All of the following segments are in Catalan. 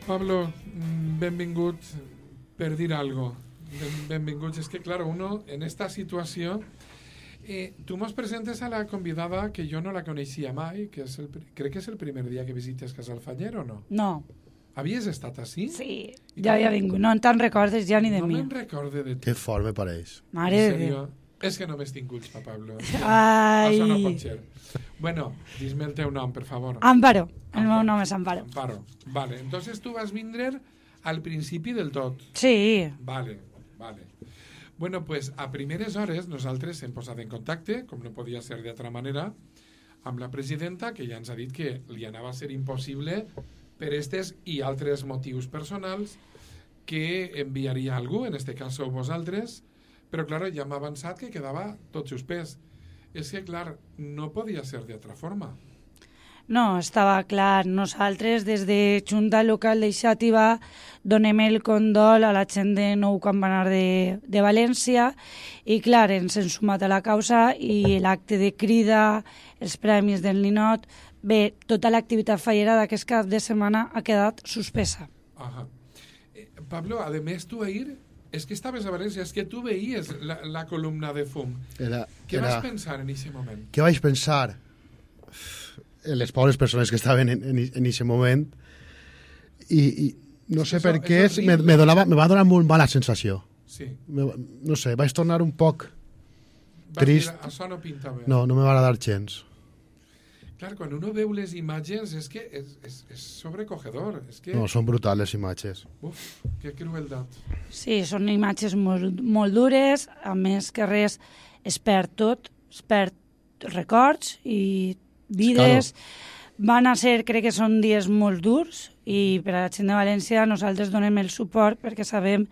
Pablo, benvingut per dir algo. Benvinguts. És que, claro, uno en esta situació... tu mos presentes a la convidada que jo no la coneixia mai, que és crec que és el primer dia que visites Casalfanyer, o no? No. Havies estat així? Sí, ja havia vingut. No te'n recordes ja ni de mi. No me'n recorde de tu. Que fort me pareix. Mare de Déu. És que no m'és tinguts, pa Pablo. Ai. Això no pot ser. Bueno, dis-me el teu nom, per favor. Amparo. El meu nom és Amparo. Amparo. Vale, entonces tu vas vindre al principi del tot. Sí. Vale. Bueno, pues a primeres hores nosaltres hem posat en contacte, com no podia ser d'altra manera, amb la presidenta, que ja ens ha dit que li anava a ser impossible per estes i altres motius personals que enviaria algú, en este cas sou vosaltres, però clar, ja m'ha avançat que quedava tot suspès. És que, clar, no podia ser d'altra forma. No, estava clar. Nosaltres, des de Junta Local de Xàtiva, donem el condol a la gent de Nou Campanar de València i, clar, ens hem sumat a la causa i l'acte de crida, els premis del Ninot, bé, tota l'activitat fallera d'aquest cap de setmana ha quedat suspesa. Ajá. Pablo, a més, tu ahir, és que estaves a València, és que tu veies la columna de fum. Què vas pensar en aquest moment? Què vaig pensar? Les pobres persones que estaven en aquest moment i no sé per què me va donar molt mala sensació. Sí. No sé, vaig tornar un poc trist. Això no pinta bé. No me va agradar gens. Clar, quan uno veu les imatges és que és sobrecogedor. És que... No, són brutals les imatges. Uf, que crueldat. Sí, són imatges molt dures, a més que res es perd tot, es perd records i vides. Claro. Van a ser, crec que són dies molt durs i per a la gent de València nosaltres donem el suport perquè sabem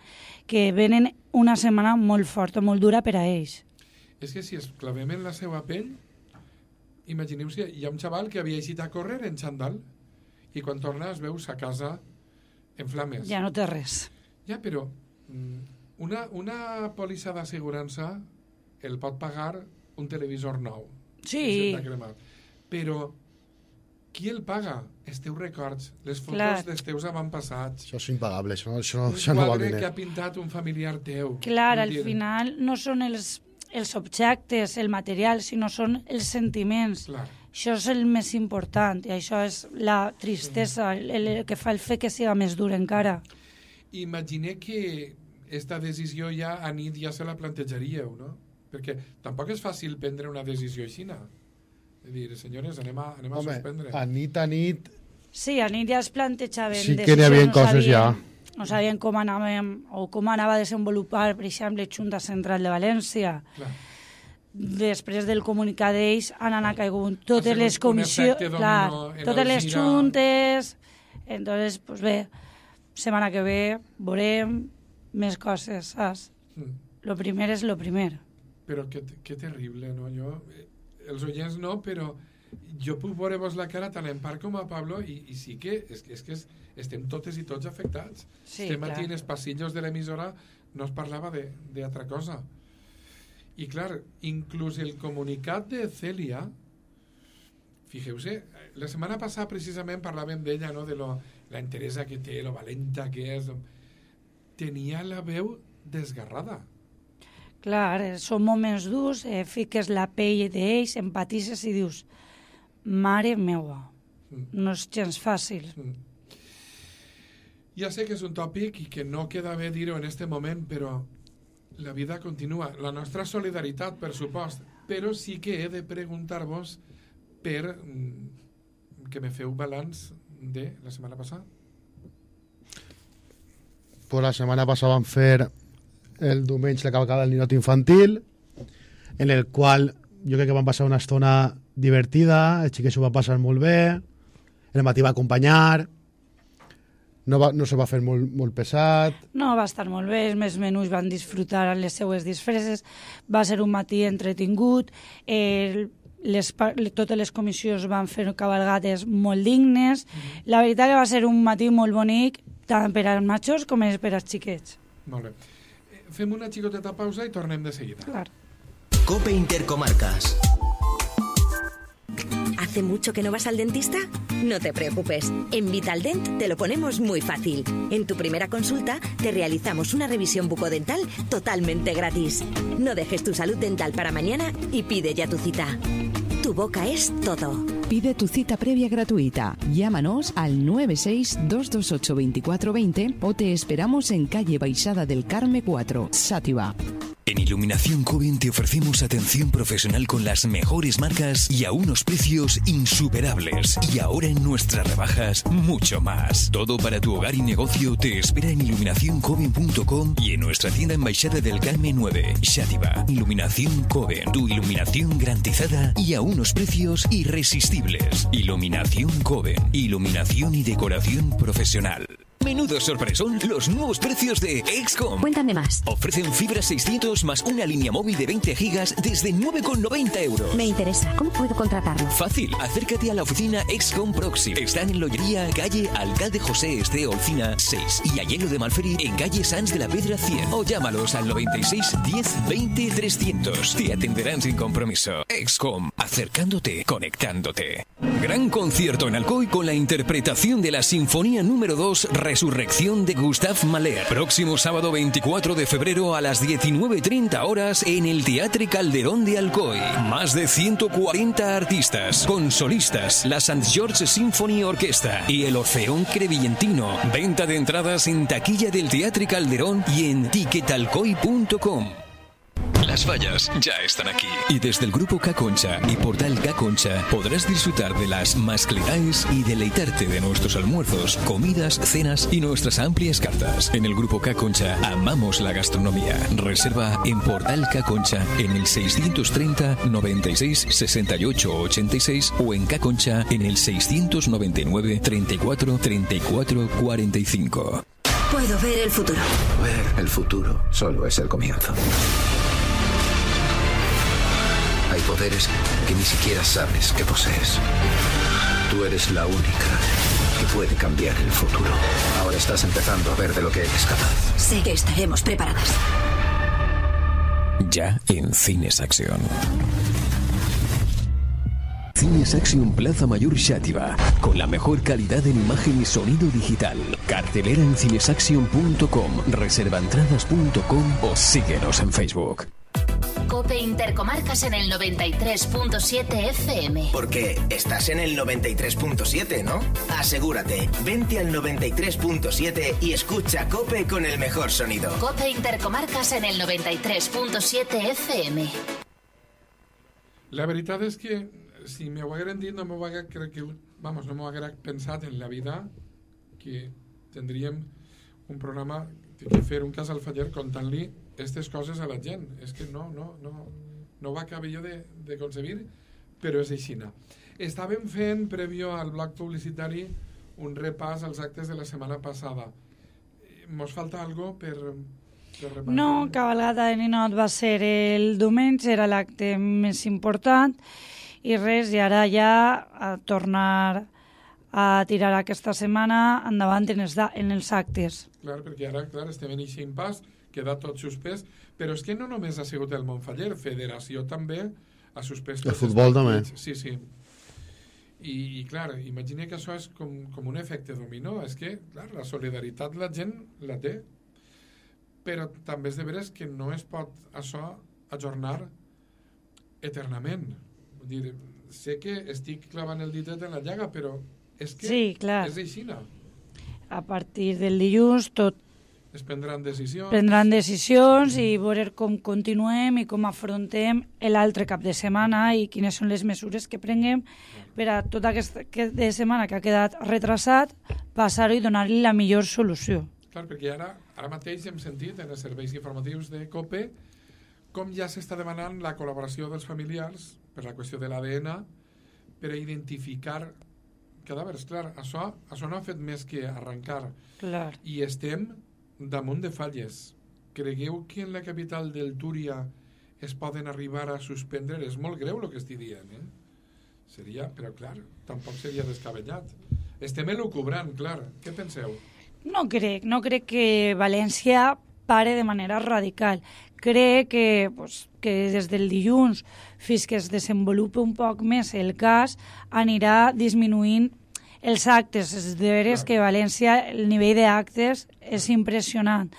que venen una setmana molt forta, molt dura per a ells. És que si es clavem en la seva pell, imagineu-vos que hi ha un xaval que havia eixit a córrer en xandall i quan torna es veu sa casa en flames. Ja no té res. Ja, però una pòlissa d'assegurança el pot pagar un televisor nou. Sí. Però qui el paga? Els teus records, les fotos dels teus avantpassats. Això és impagable, això no val diners. Un quadre que ha pintat un familiar teu. Clar, al final no són els objectes, el material, sinó són els sentiments. Clar. Això és el més important i això és la tristesa, el que fa el fet que sigui més dur encara. Imagine que esta decisió ja a nit ja se la plantejaríeu, no? Perquè tampoc és fàcil prendre una decisió així, no? És dir, senyores, anem a suspendre. A nit... Sí, a nit ja es plantejaven sí que n'hi havia coses ja. No sabien com anàvem o com anava a desenvolupar, per exemple, Junta Central de València. Clar. Després del comunicat d'ells han anat caigut totes les comissions, totes les juntes. Entonces, pues bé, setmana que ve veurem més coses, saps? Lo primer és lo primer. Però que terrible, no? Els oients no, però jo puc veure-vos la cara tant en part com a Pablo i sí que estem totes i tots afectats. Sí, estem aquí en els passillos de l'emissora, no es parlava d'altra cosa. I clar, inclús el comunicat de Celia, fixeu-se, la setmana passada precisament parlàvem d'ella, no? De la interesa que té, lo valenta que és. Tenia la veu desgarrada. Clar, són moments durs, fiques la pell d'ells, empatitzes i dius, mare meua, no és gens fàcil. Ja sé que és un tòpic i que no queda bé dir-ho en este moment, però la vida continua. La nostra solidaritat, per supost, però sí que he de preguntar-vos per que me feu balanç de la setmana passada. Pues la setmana passada vam fer el diumenge la cavalcada del ninot infantil, en el qual jo crec que vam passar una estona divertida, els xiquets ho van passar molt bé, el matí va acompanyar, no se va fer molt pesat. No, va estar molt bé, els més menús van disfrutar les seues disfresses, va ser un matí entretingut, totes les comissions van fer cavalgades molt dignes, la veritat que va ser un matí molt bonic, tant per als majors com per als xiquets. Molt bé. Fem una xicoteta pausa i tornem de seguida. Clar. COPE Intercomarcas. ¿Hace mucho que no vas al dentista? No te preocupes, en Vitaldent te lo ponemos muy fácil. En tu primera consulta te realizamos una revisión bucodental totalmente gratis. No dejes tu salud dental para mañana y pide ya tu cita. Tu boca es todo. Pide tu cita previa gratuita. Llámanos al 962282420 o te esperamos en calle Baixada del Carme 4, Xàtiva. En Iluminación Coven te ofrecemos atención profesional con las mejores marcas y a unos precios insuperables. Y ahora en nuestras rebajas, mucho más. Todo para tu hogar y negocio te espera en iluminacioncoven.com y en nuestra tienda en Baixada del Carme 9, Xàtiva. Iluminación Coven, tu iluminación garantizada y a unos precios irresistibles. Iluminación Coven, iluminación y decoración profesional. Menudo sorpresón los nuevos precios de XCOM. Cuéntame más. Ofrecen fibra 600 más una línea móvil de 20 gigas desde 9,90 euros. Me interesa. ¿Cómo puedo contratarlo? Fácil. Acércate a la oficina XCOM Proxim. Están en Lollería, calle Alcalde José Este Olcina 6 y Ayelo de Malferit en calle Sans de la Pedra 100. O llámalos al 96 10 20 300. Te atenderán sin compromiso. XCOM. Acercándote, conectándote. Gran concierto en Alcoy con la interpretación de la Sinfonía número 2 Resurrección de Gustav Mahler. Próximo sábado 24 de febrero a las 19:30 horas en el Teatre Calderón de Alcoy. Más de 140 artistas, con solistas, la St. George Symphony Orquesta y el Orfeón Crevillentino. Venta de entradas en taquilla del Teatre Calderón y en ticketalcoy.com. Las fallas ya están aquí. Y desde el Grupo K-Concha y Portal K-Concha podrás disfrutar de las mascletaes y deleitarte de nuestros almuerzos, comidas, cenas y nuestras amplias cartas. En el Grupo K-Concha amamos la gastronomía. Reserva en Portal K-Concha en el 630 96 68 86 o en K-Concha en el 699 34 34 45. Puedo ver el futuro. Ver el futuro solo es el comienzo. Hay poderes que ni siquiera sabes que posees. Tú eres la única que puede cambiar el futuro. Ahora estás empezando a ver de lo que eres capaz. Sé que estaremos preparadas. Ya en Cines Acción. Cines Action Plaza Mayor Xàtiva, con la mejor calidad en imagen y sonido digital. Cartelera en cinesaction.com, reservaentradas.com o síguenos en Facebook. COPE Intercomarcas en el 93.7 FM. Porque estás en el 93.7, ¿no? Asegúrate, vente al 93.7 y escucha COPE con el mejor sonido. COPE Intercomarcas en el 93.7 FM. La veritat és que si m'ho hagueren dit no m'ho haguera pensat en la vida que tindríem un programa que fer un cas al Faller contant-li aquestes coses a la gent. És que no ho acabo jo de concebir, però és aixina. Estàvem fent, prèvio al bloc publicitari, un repàs als actes de la setmana passada. Mos falta algo per repartir? No, cabalgata de ninot va ser el diumenge, era l'acte més important, i res, i ara ja a tornar a tirar aquesta setmana endavant en els actes. Clar, perquè ara estem en aquest impàs, queda tot suspès, però és que no només ha sigut el Montfaller, Federació també ha suspès... El futbol també. Sí. I clar, imagina que això és com un efecte dominó. És que, clar, la solidaritat la gent la té, però també és de veres que no es pot això ajornar eternament. Vull dir, sé que estic clavant el ditet en la llaga, però és que sí, clar. És aixina. A partir del dilluns tot es prendran decisions. Prendran decisions i veure com continuem i com afrontem l'altre cap de setmana i quines són les mesures que prenguem per a tota aquesta de setmana que ha quedat retrasat, passar-ho i donar-li la millor solució. Clar, perquè ara mateix hem sentit en els serveis informatius de COPE com ja s'està demanant la col·laboració dels familiars per la qüestió de l'ADN per a identificar cadàvers. Clar, això no ha fet més que arrencar. Clar. I estem damunt de falles. Cregueu que en la capital del Túria es poden arribar a suspendre? És molt greu el que estic dient, Seria, però clar, tampoc seria descabellat. Estem elucubrant, clar. Què penseu? No crec que València pare de manera radical. crec que des del dilluns fins que es desenvolupi un poc més el cas anirà disminuint els actes. És de veres que a València el nivell d'actes és impressionant.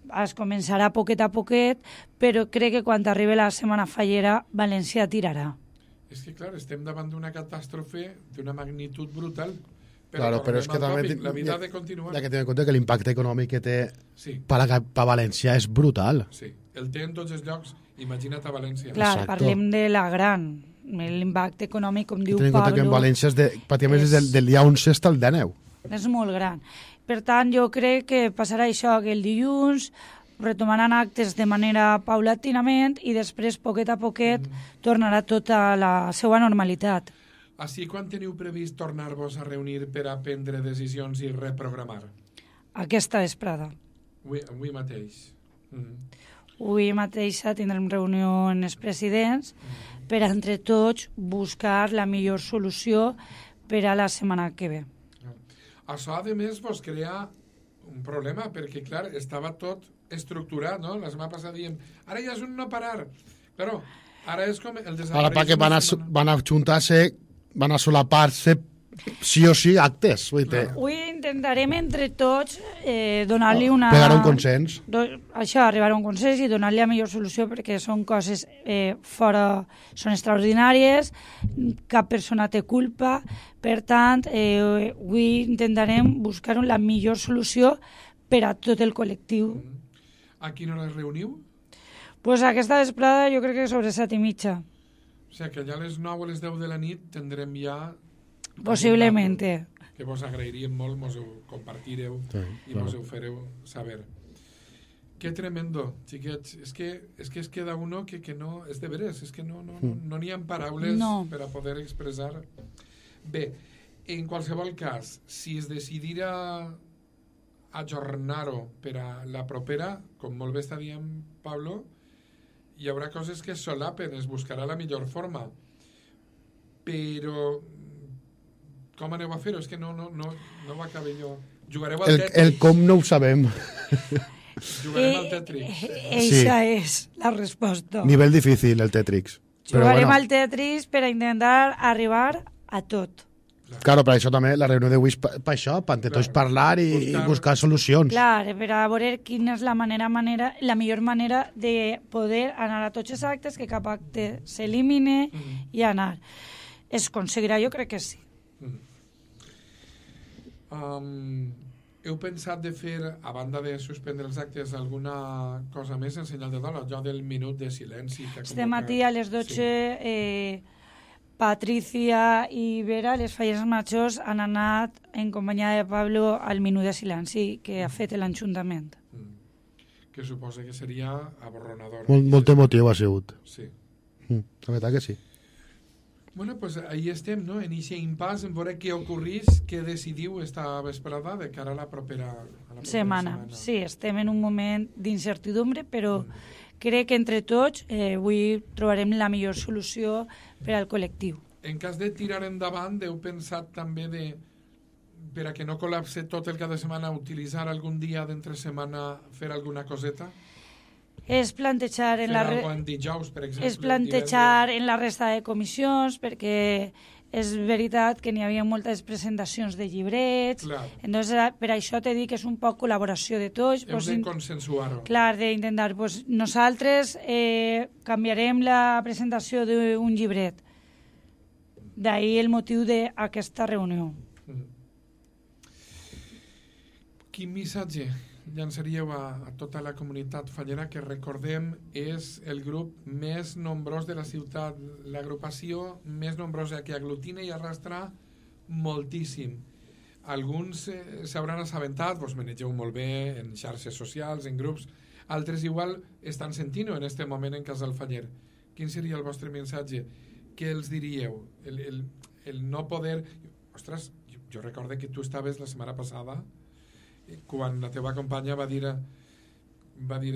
Es començarà poquet a poquet, però crec que quan arribi la setmana fallera València tirarà. És que, clar, estem davant d'una catàstrofe d'una magnitud brutal. Claro, però és que també la vida ha de continuar. Hay que tener en compte que l'impacte econòmic que té sí. per a València és brutal. Sí, el té en tots els llocs, imagina't a València. Clar, exacto. Parlem de la gran, l'impacte econòmic, com diu Pablo... Tenim en compte que en València pràcticament és del dia 11 fins al dia 9. És molt gran. Per tant, jo crec que passarà això, que el dilluns retomaran actes de manera paulatinament i després, poquet a poquet, tornarà tota la seva normalitat. Així, quan teniu previst tornar-vos a reunir per a prendre decisions i reprogramar? Aquesta vesprada. Avui mateix. Avui mateix tindrem reunió amb els presidents per a, entre tots, buscar la millor solució per a la setmana que ve. Això, a més, vos crea un problema, perquè, clar, estava tot estructurat, no? La setmana passada diem, ara ja és un no parar. Claro, ara és com el desapareix... Ara perquè van a juntar-se, van a solapar-se sí o sí actes. Avui intentarem entre tots donar-li una... Pegar un consens. Això, arribar a un consens i donar-li la millor solució, perquè són coses fora... són extraordinàries, cap persona té culpa, per tant, avui intentarem buscar la millor solució per a tot el col·lectiu. A quina hora es reuniu? Pues aquesta vesprada jo crec que sobre 7:30. O sigui que allà a les 9 o les 10 de la nit tindrem ja... Possiblemente. Que vos agrairíem molt, mos ho compartireu i mos ho fareu saber. Qué tremendo, xiquets. És que es queda uno que no... És de veres, és que no n'hi ha paraules per a poder expressar. Bé, en qualsevol cas, si es decidira ajornar-ho per a la propera, com molt bé està dient Pablo, hi haurà coses que es solapen, es buscarà la millor forma. Però com aneu a fer-ho? És que no ho acabé jo. Jugareu al Tetris? El com no ho sabem. Jugarem al Tetris. Eixa és la resposta. Nivell difícil, el Tetris. Jugarem al Tetris per a intentar arribar a tot. Claro, per això també la reunió d'avui és per això, per entre tots parlar i buscar solucions. Clar, per a veure quina és la millor manera de poder anar a tots els actes, que cap acte s'elimine i anar. Es aconseguirà? Jo crec que sí. Heu pensat de fer, a banda de suspendre els actes, alguna cosa més en senyal de dol? Allò del minut de silenci. Este matí a les 12... Patricia i Vera, les falles majors, han anat en companyia de Pablo al minut de silenci que ha fet l'Ajuntament. Que suposa que seria aborronador. Molt emotiu ha sigut. Sí. La veritat que sí. Bueno, pues ahí estem, no? En aquest impàs, en veure què ocorrís, què decidiu esta vesprada de cara a la propera setmana. Sí, estem en un moment d'incertidumbre, però crec que entre tots avui trobarem la millor solució per al col·lectiu. En cas de tirar endavant, heu pensat també per a que no col·lapse tot el cada setmana, utilitzar algun dia d'entre setmana, fer alguna coseta? És plantejar en dijous, per exemple, és plantejar en la resta de comissions, perquè és veritat que n'hi havia moltes presentacions de llibrets, entonces per això t'he dit que és un poc col·laboració de tots. Hem de consensuar-ho. Clar, d'intentar. Nosaltres canviarem la presentació d'un llibret. D'ahir el motiu d'aquesta reunió. Quin missatge llançaríeu a tota la comunitat fallera, que recordem és el grup més nombrós de la ciutat, l'agrupació més nombrosa que aglutina i arrastra moltíssim. Alguns s'hauran assabentat, vos manegeu molt bé en xarxes socials, en grups, altres igual estan sentint-ho en aquest moment en Casal Faller. Quin seria el vostre missatge? Què els diríeu? El no poder... Ostres, jo recordo que tu estaves la setmana passada quan la teva companya va dir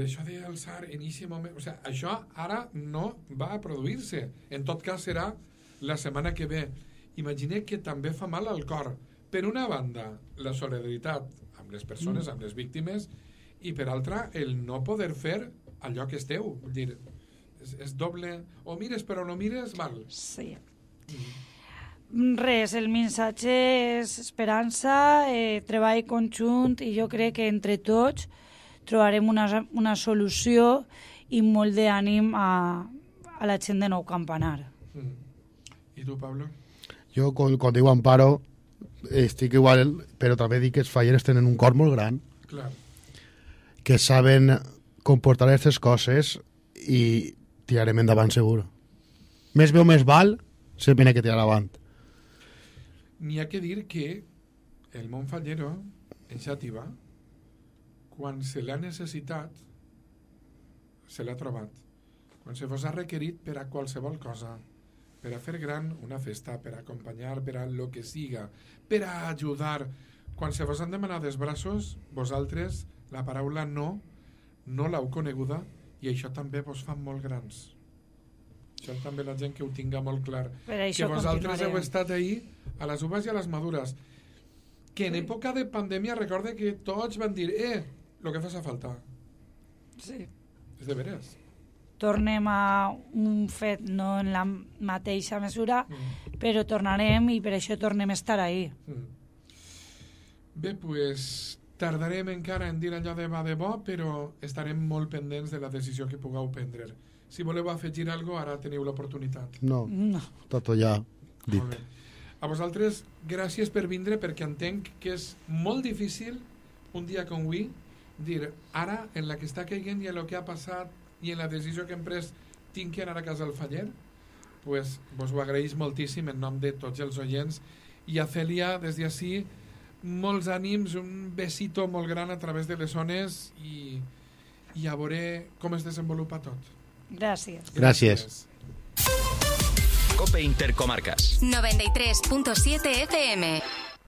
això d'alçar en aquest moment, o sigui, això ara no va a produir-se, en tot cas serà la setmana que ve. Imagina que també fa mal al cor, per una banda la solidaritat amb les persones, amb les víctimes, i per altra el no poder fer al lloc esteu. Vull dir, és doble, o mires però no mires, val. Sí. Res, el missatge és esperança, treball conjunt, i jo crec que entre tots trobarem una solució i molt d'ànim a la gent de Nou Campanar. I tu, Pablo? Jo, quan diu Amparo, estic igual, però també dic que els falleres tenen un cor molt gran, Clar. que saben comportar aquestes coses i tirarem endavant segur. Més bé o més val, sempre n'hi ha que tirar avant. N'hi ha que dir que el món fallero, en Xàtiva, quan se l'ha necessitat, se l'ha trobat. Quan se vos ha requerit per a qualsevol cosa, per a fer gran una festa, per a acompanyar, per a lo que siga, per a ajudar. Quan se vos han demanat els braços, vosaltres la paraula no l'heu coneguda, i això també vos fa molt grans. Això també la gent que ho tinga molt clar. Que vosaltres heu estat ahí a les uves i a les madures. Que en època de pandèmia recorde que tots van dir lo que fa falta. Sí. És de veres. Tornem a un fet, no en la mateixa mesura, però tornarem i per això tornem a estar ahí. Bé, pues tardarem encara en dir allò de va de bo, però estarem molt pendents de la decisió que pugueu prendre. Si voleu afegir alguna cosa, ara teniu l'oportunitat. No, tot ja dit. A vosaltres, gràcies per vindre, perquè entenc que és molt difícil un dia com avui dir, ara, en la que està caient i en el que ha passat i en la decisió que hem pres, tinc que anar a casa al faller, pues vos ho agraïs moltíssim en nom de tots els oients, i a Cèlia, des d'ací, molts ànims, un besito molt gran a través de les ones, i a veure com es desenvolupa tot. Gràcies. Gràcies. COPE Intercomarcas 93.7 FM.